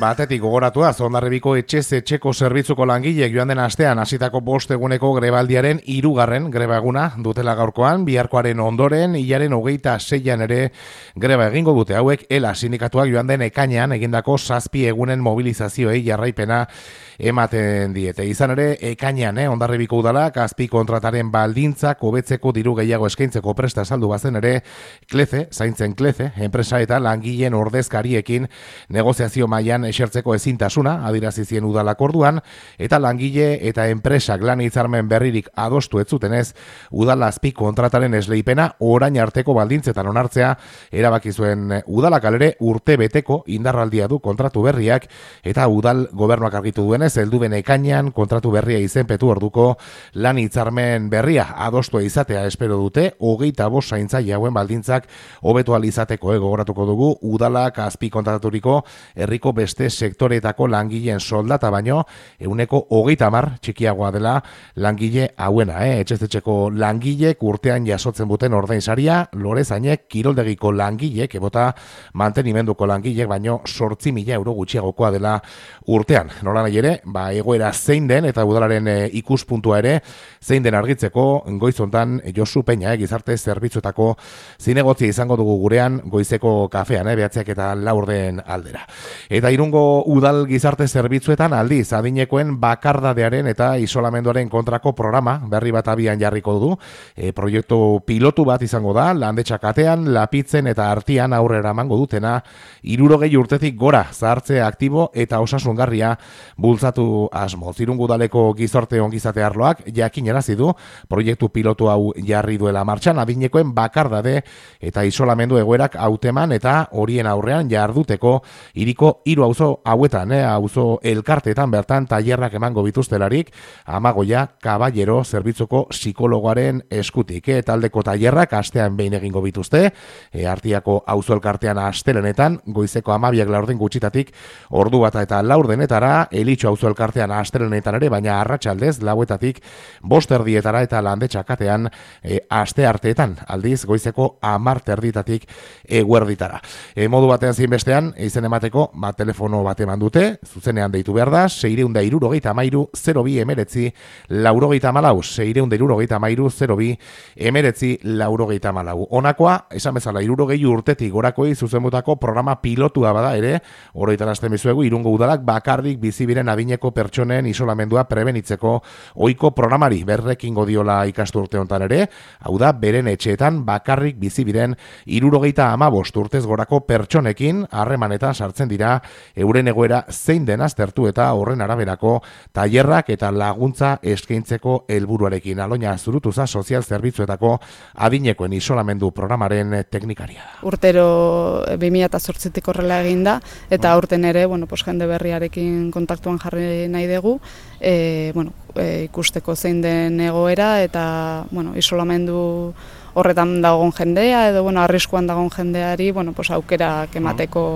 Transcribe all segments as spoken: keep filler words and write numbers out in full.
batetik gogoratua, Hondarribiko etxez etxeko zerbitzuko langileek joan den astean hasitako bost eguneko grebaldiaren hirugarren greba eguna dutela gaurkoan, biharkoaren ondoren, hilaren hogeita seian ere greba egingo dute hauek, ELA sindikatuak joan den ekainean egindako zazpi egunen mobilizazioei jarraipena ematen diete. Izan ere, ekainean, eh, Hondarribiko udalak azpi kontrataren baldintzak hobetzeko diru gehiago eskaintzeko presta saldu bazen ere, Kleze, zaintzen Kleze, enpresa eta langileen ordezkariekin negoziazio mailan esertzeko ezintasuna adierazi zien udalak orduan, eta langile eta enpresak lan hitzarmen berririk adostu ez zutenez, udal azpi kontrataren esleipena orain arteko baldintzetan onartzea erabaki zuen udalak. Alere urte beteko indarraldia du kontratu berriak, eta udal gobernuak argitu duenez heldu den ekainean kontratu berria izenpetu orduko lan hitzarmen berria adostua izatea espero dute, hogeita bost zaintzaile hauen baldintzak hobetu ahal izateko. Gogoratuko dugu udalak azpi kontrataturiko herriko beste sektoreetako langileen soldata baino ehuneko hogeita hamar txikiagoa dela langile hauena, eh? Etxez-etxeko langilek urtean jasotzen duten ordainsaria, lorezainek, kiroldegiko langilek, ebota mantenimenduko langilek baino zortzi mila euro gutxiagokoa dela urtean. Nola nahi ere, ba, egoera zein den eta udalaren e, ikuspuntua ere zein den argitzeko goizontan Josu Peña, eh, gizarte zerbitzuetako zinegotzia izango dugu gurean goizeko kafean, eh, behatziak eta laurden aldera. Eta Irungo udal gizarte zerbitzuetan aldiz adinekoen bakardadearen eta isolamenduaren kontrako programa berri bat abian jarriko du. E, proiektu pilotu bat izango da, landetxak atean, Lapitzen eta Artian aurrera emango dutena, hirurogei urtetik gora zahartze aktibo eta osasungarria bultzatu asmo. Irungo udaleko gizarte ongizate arloak jakinarazi du proiektu pilotu hau jarri duela martxan, adinekoen bakardade eta isolamendu egoerak hauteman eta horien aurrean jarduteko hiriko hiru auzo hauetan, eh, auzo elkarteetan bertan tailerrak emango bituztelarik, Amagoia Kaballero zerbitzuko psikologoaren eskutik, eh, taldeko tailerrak astean behin egingo bituzte, eh, Artiako auzo elkartean astelenetan goizeko hamabiak laurden gutxitatik ordu bata eta laurdenetara, Elitxo auzo elkartean astelenetan ere, baina arratsaldez lauetatik bost erdietara eta landetxakatean e, aste arteetan, aldiz goizeko hamar terditatik eguerditara. E, modu batean zein bestean, izen emateko, ba, telefono bat eman dute, zuzenean deitu behar da, seireunda irurogeita amairu, zero bi emeretzi, laurogeita malau, seireunda irurogeita amairu, zero bi emeretzi, laurogeita malau. Honakoa, esan bezala, irurogei urtetik gorakoi zuzenbutako programa pilotua bada ere, oroitarazten bizuegu, Irungo udalak bakarrik bizibiren adineko pertsonen isolamendua prebenitzeko ohiko programari berrekingo diola ikasturte hontan ere, hau da, beren etxeetan bakarrik bizibiren hirurogeita hamabost urtez gorako pertsonekin harremanetan sartzen dira euren egoera zein den aztertu eta horren araberako tailerrak eta laguntza eskaintzeko helburuarekin. Aloña Zurutuza sozial zerbitzuetako adinekoen isolamendu programaren teknikaria. Urtero bi mila zortzitik horrela eginda eta aurten ere, bueno, pues jende berriarekin kontaktuan jarri nahi dugu, e, bueno, e, ikusteko zein den egoera eta, bueno, isolamendu horretan dagoen jendea edo, bueno, arriskuan dagoen jendeari, bueno, pues aukerak emateko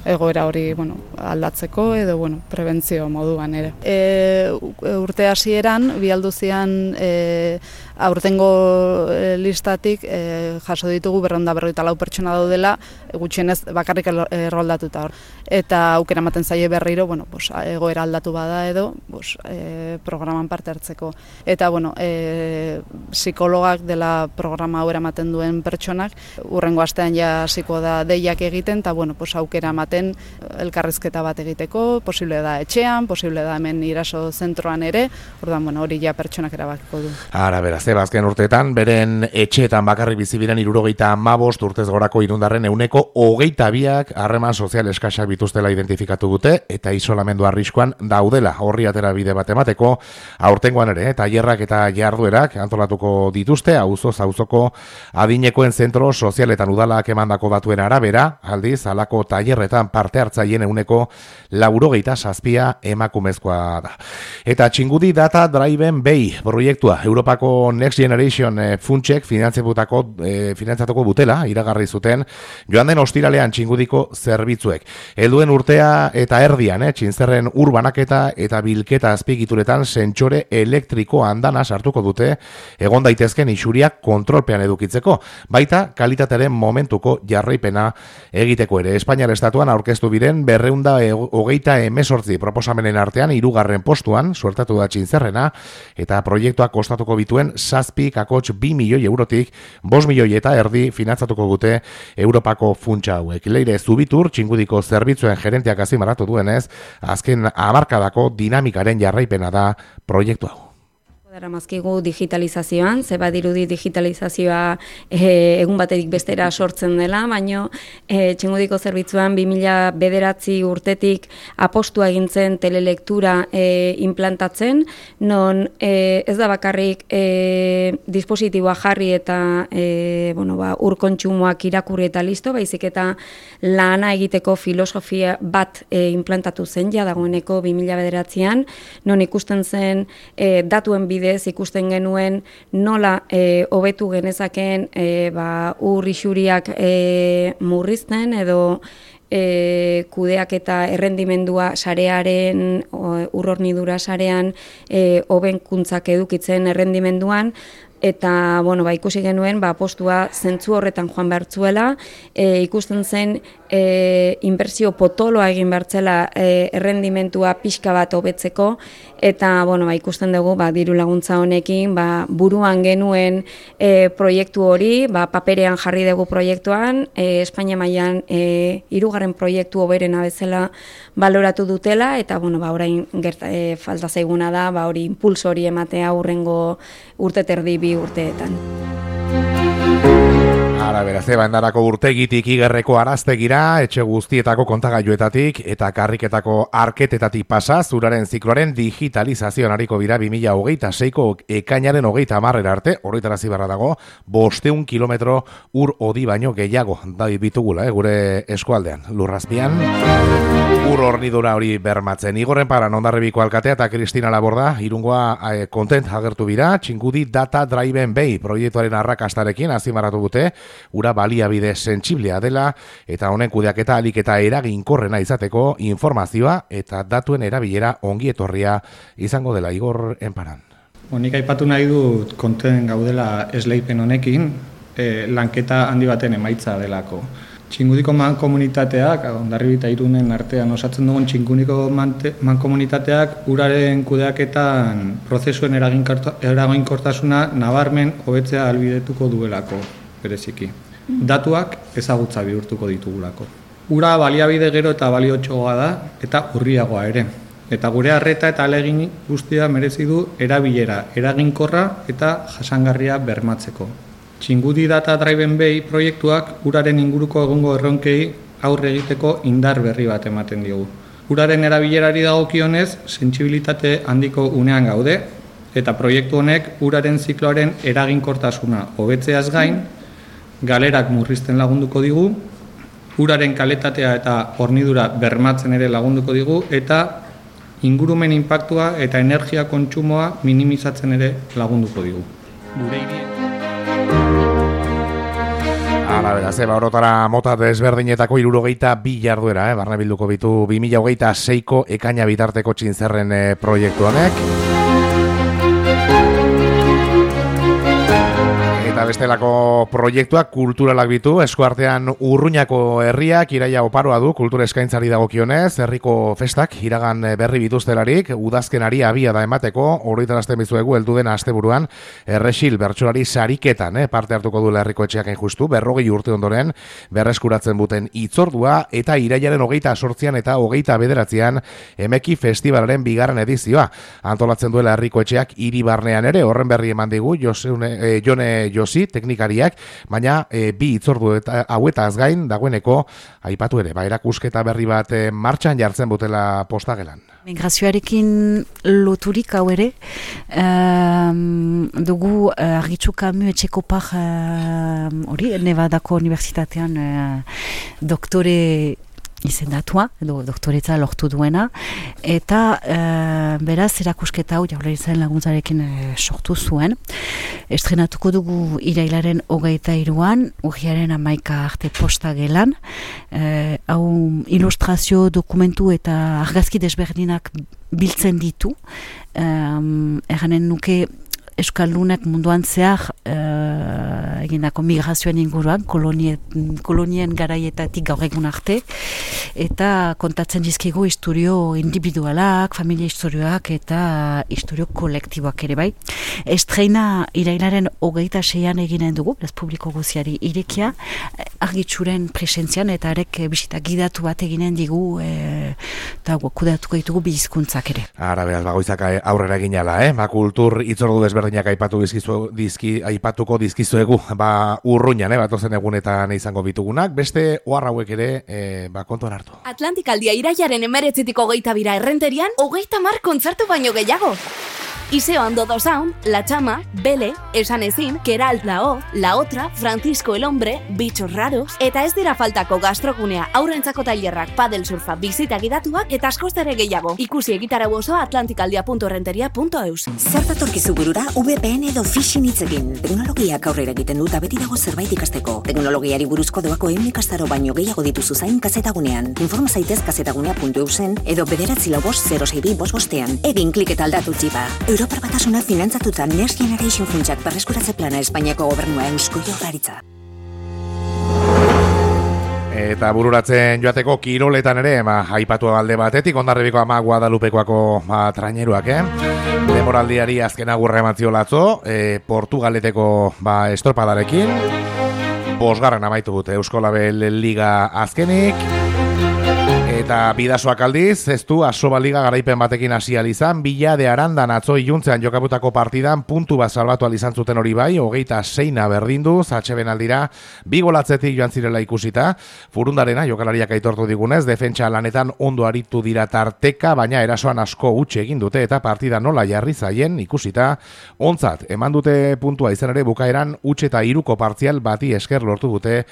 egoera hori, bueno, aldatzeko edo, bueno, prebentzio moduan ere. E, urte hasieran bi alduzian e, aurtengo e, listatik e, jaso ditugu berrehun eta berrogeita lau pertsona daudela, gutxienez bakarrik erroldatuta hor. Eta aukera ematen zaie berriro, bueno, pues, egoera aldatu bada edo, pues, e, programan parte hartzeko. Eta, bueno, e, psikologak dela programa hau eramaten duen pertsonak, urrengo astean ja hasiko da deiak egiten, eta, bueno, pues, aukera ematen elkarrizketa bat egiteko, posible da etxean, posible da hemen iraso zentroan ere, orduan, bueno, hori ja pertsonak erabakiko du. Ara, beraz, azken urteetan, beren etxeetan bakarrik bizibiren hirurogeita hamabost urtez gorako irundarren euneko hogeita biak harreman sozial eskasak bituztela identifikatu dute eta isolamendu arriskoan daudela horri atera bide bat emateko. Aurtengoan ere, tailerrak eta jarduerak antolatuko dituzte auzoz auzoko adinekoen zentro sozialetan udalak emandako datuen arabera, aldiz halako tailerretan parte hartzaileen euneko laurogeita zazpia emakumezkoa da. Eta Txingudi Data Driven Bay proiektua Europako Next Generation e, funtsek finantzatutako e, finantzatuko butela iragarri zuten joan den ostiralean Txingudiko zerbitzuek. Helduen urtea eta erdian, eh, Txintzerren urbanaketa eta bilketa azpigituretan sentsore elektriko andana sartuko dute egon daitezken isuriak kontrolpean edukitzeko, baita kalitatearen momentuko jarraipena egiteko ere. Espainiar estatuan aurkeztu biren berreunda hogeita hemezortzi proposamenen artean hirugarren postuan suertatu da Txintzerrena eta proiektuak kostatuko bituen zazpi kakots bi milioi eurotik bost milioi eta erdi finantzatuko dute Europako funtsa hauek. Leire Zubitur, Txingudiko zerbitzuen gerenteak azimarratu duenez, azken hamarkadako dinamikaren jarraipena da proiektu hau. Daramazkigu digitalizazioan, ze badirudi digitalizazioa e, egun batetik bestera sortzen dela, baino e, Txingudiko zerbitzuan bi mila bederatzi urtetik apostua egintzen telelektura e, implantatzen, non e, ez da bakarrik e, dispositiboa jarri eta e, bueno, ba, ur kontsumoak irakurri eta listo, baizik eta lana egiteko filosofia bat e, implantatu zen ja dagoeneko bi mila bederatzian, non ikusten zen e, datuen bidez ikusten genuen nola e, hobetu genezakeen e, ba, ur isuriak e, murrizten edo e, kudeak eta errendimendua sarearen, ur hornidura sarean e, hobenkuntzak edukitzen errendimenduan, eta bueno, ba, ikusi genuen ba, postua zentzu horretan joan behartzuela, e, ikusten zen e, inbertsio potoloa egin behartzela e, errendimentua pixka bat hobetzeko, eta bueno, ba, ikusten dugu ba, diru laguntza honekin ba, buruan genuen e, proiektu hori, ba, paperean jarri dugu proiektuan, e, Espainia mailan e, hirugarren proiektu hoberena bezala baloratu dutela, eta bueno, ba, orain gerta, e, falta zaiguna da ba, hori impulso hori ematea hurrengo urte terdi bi urteetan. Ara beraz, Ebandarako urtegitik igerreko araztegira, etxe guztietako kontagailuetatik eta karriketako arketetatik pasa, zuraren zikloaren digitalizazioan hariko dira bi mila hogeita seiko ekainaren hogeita hamarrera arte, horretarazi barra dago, bosteun kilometro ur odi baino gehiago da bitugula, eh, gure eskualdean. Lurrazpian, ur hornidura hori bermatzen. Igorren Paran Hondarribiko alkatea eta Kristina Laborda, Irungoa eh, kontent agertu bira, Txingudi Data Driven Bay proiektuaren arrakastarekin azimarratu dute, ura baliabide sentsiblea dela eta honen kudeaketa ahalik eta eraginkorrena izateko informazioa eta datuen erabilera ongi etorria izango dela. Igor Enparan. Nik aipatu nahi dut konten gaudela esleipen honekin, eh, lanketa handi baten emaitza delako. Txingudiko mankomunitateak, Hondarribi eta Irunen artean osatzen dugun Txingudiko mankomunitateak uraren kudeaketan prozesuen eraginkortasuna nabarmen hobetzea ahalbidetuko duelako, bereziki. Datuak ezagutza bihurtuko ditugulako. Ura baliabide gero eta baliotxoa da eta urriagoa ere. Eta gure arreta eta ahalegin guztia merezi du erabilera, eraginkorra eta jasangarria bermatzeko. Txingudi Data Driven Bay proiektuak uraren inguruko egungo erronkei aurre egiteko indar berri bat ematen diogu. Uraren erabilerari dagokionez, sentsibilitate handiko unean gaude, eta proiektu honek uraren zikloaren eraginkortasuna hobetzeaz gain, galerak murrizten lagunduko digu, uraren kalitatea eta hornidura bermatzen ere lagunduko digu, eta ingurumen inpaktua eta energia kontsumoa minimizatzen ere lagunduko digu. Gure hirien Hala, beraz, eba, orotara mota desberdinetako hirurogeita bi jarduera, eh? Barne bilduko bitu bi mila hogeita seiko ekaina bitarteko Txintzerren eh, proiektu honek. Eta bestelako proiektuak kulturalak bitu, eskuartean Urruñako herriak iraia oparoa du kultura eskaintzari dagokionez, herriko festak iragan berri bituztelarik, udazkenari abia da emateko, horretarazten bizuegu heldu den asteburuan, erresil bertsolari sariketan, eh, parte hartuko duela herriko etxeak justu, berrogei urte ondoren, berreskuratzen buten itzordua, eta iraiaren hogeita sortzian eta hogeita bederatzean Emeki Festivalaren bigarren edizioa. Antolatzen duela herriko etxeak hiri barnean ere, horren berri eman digu, Josune, eh, Jone Josi, teknikariak, baina e, bi itzordu eta hauetaz gain dagoeneko aipatu ere, ba, erakusketa berri bat e, martxan jartzen butela postagelan. Migrazioarekin loturik hau ere, um, dugu uh, Argitxu Camus etxeko par hori, uh, Nevadako Unibertsitatean uh, doktore izendatua, edo doktoretza lortu duena, eta e, beraz erakusketa hau Jaurlaritzaren laguntzarekin e, sortu zuen. Estrenatuko dugu irailaren hogeita hiruan, urriaren hamaika arte posta gelan, e, hau ilustrazio, dokumentu eta argazki desberdinak biltzen ditu, e, erranen nuke Euskaldunak munduan zehar uh, egindako migrazioen inguruan, kolonien, kolonien garaietatik gaur egun arte, eta kontatzen dizkigu istorio individualak, familia istorioak eta istorio kolektiboak ere bai. Estreina irailaren hogeita seian eginen dugu, beraz publiko guziari irekia, argitzuren presentzian eta arek bisita gidatu bat eginen digu eta e, kudatuko ditugu bi hizkuntzak ere. Ara, beraz, bagoizak aurrera eginala, eh? Ba, kultur itzordu desberdinak aipatu dizkizu, dizki, aipatuko dizkizuegu, ba, urruñan, eh? Batozen egunetan izango bitugunak, beste ohar hauek ere, eh, ba, kontuan hartu. Atlantikaldia iraiaren emeretzitik hogeita bira errenterian, hogeita mar kontzertu baino gehiago. Iseo Andodo Sound, La Chama, Bele, Esan Ezin, Keralt La Hoz, La Otra, Francisco el Hombre, Bichos Raros, eta ez dira faltako gastrogunea, aurrentzako tailerrak, padel surfa, bizita gidatuak eta askostare gehiago. Ikusi egitarau osoa atlantikaldia puntu errenteria puntu eus. Zer datorkizu burura V P N edo phishing hitzekin. Teknologiak aurrera egiten dut beti dago zerbait ikasteko. Teknologiari buruzko doako ehun ikastaro baino gehiago dituzu zain kazetagunean. Informa zaitez kazetagunea puntu eusen edo bederatzi lau bost zero sei bi bost bostean. Egin klik eta aldatu txipa. Europar Batasuna finantzatuta Next Generation funtsak berreskuratze plana Espainiako gobernua Eusko Jaurlaritza. Eta bururatzen joateko kiroletan ere, ma, aipatu alde batetik, Hondarribiko ama Guadalupekoako ma, traineruak, eh? Demoraldiari azken agurra eman ziolatzo, e, Portugaleteko ba, estropadarekin, bosgarren amaitu dute Eusko Label Liga azkenik, eta bidasoak aldiz, ez du Asoba Liga garaipen batekin hasi izan, Bila de Arandan atzo iluntzean jokabutako partidan puntu bat salbatu izan zuten hori bai, hogeita seina berdindu, zatxeben aldira, bi golatzetik joan zirela ikusita, Furundarena jokalariak aitortu digunez, defentsa lanetan ondo aritu dira tarteka, baina erasoan asko utxe egin dute eta partida nola jarri zaien ikusita, ontzat, eman dute puntua izan ere bukaeran utxe eta iruko partzial bati esker lortu dute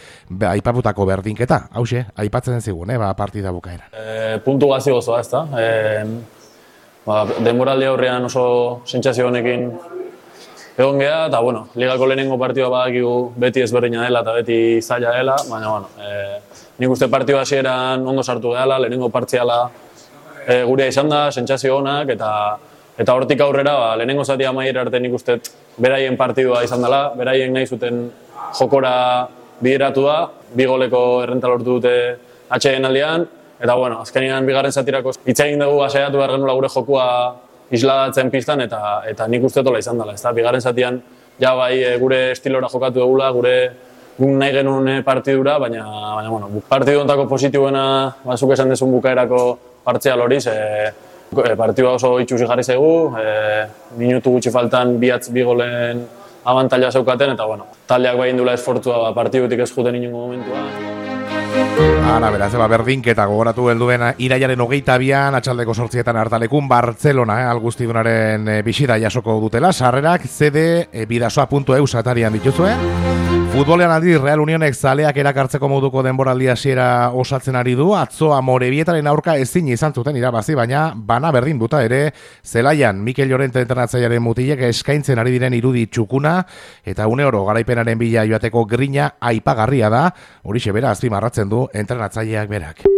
aipaputako berdinketa, hause, aipatzen zigun, eh, ba, partida bukaeran. E, puntu gazi gozoa, ez da. E, ba, denboraldi aurrean oso sentsazio honekin egon geha, eta bueno, ligako lehenengo partidua badakigu beti ezberdina dela eta beti zaila dela, baina bueno, e, nik uste partidua hasieran ondo sartu gehala, lehenengo partziala e, gurea izan da, sentsazio honak, eta eta hortik aurrera, ba, lehenengo zati amaiera arte nik uste beraien partidua izan dela, beraien nahi zuten jokora bideratu da, bi goleko errenta lortu dute atxeen aldean, eta bueno, azkenean bigarren zatirako hitz egin dugu asaiatu behar genula gure jokua isladatzen pistan, eta eta nik uste tola izan dela, ezta? Bigarren zatian ja bai gure estilora jokatu dugula, gure guk nahi genuen partidura, baina, baina bueno, partidu ontako positibuena, bazuk esan dezun bukaerako partzial horiz, e, partidua oso itxusi jarri zaigu, e, minutu gutxi faltan bihatz bi golen abantaila zeukaten, eta bueno, taldeak bai indula esfortzua ba, partidutik ez juten inongo momentua. Ana, beraz, eba, berdinketa gogoratu helduen irailaren hogeita bian, atxaldeko sortzietan hartalekun, Bartzelona, eh, algustidunaren eh, bisita jasoko dutela, sarrerak zede eh, bidasoa puntu eus atarian dituzue. Futbolean aldi, Real Unionek zaleak erakartzeko moduko denboraldi hasiera osatzen ari du, atzo Amorebietaren aurka ezin izan zuten irabazi, baina bana berdin duta ere, zelaian Mikel Llorente entrenatzailearen mutilek eskaintzen ari diren irudi txukuna, eta une oro garaipenaren bila joateko grina aipagarria da, horixe bera azpimarratzen du entrenatzaileak berak.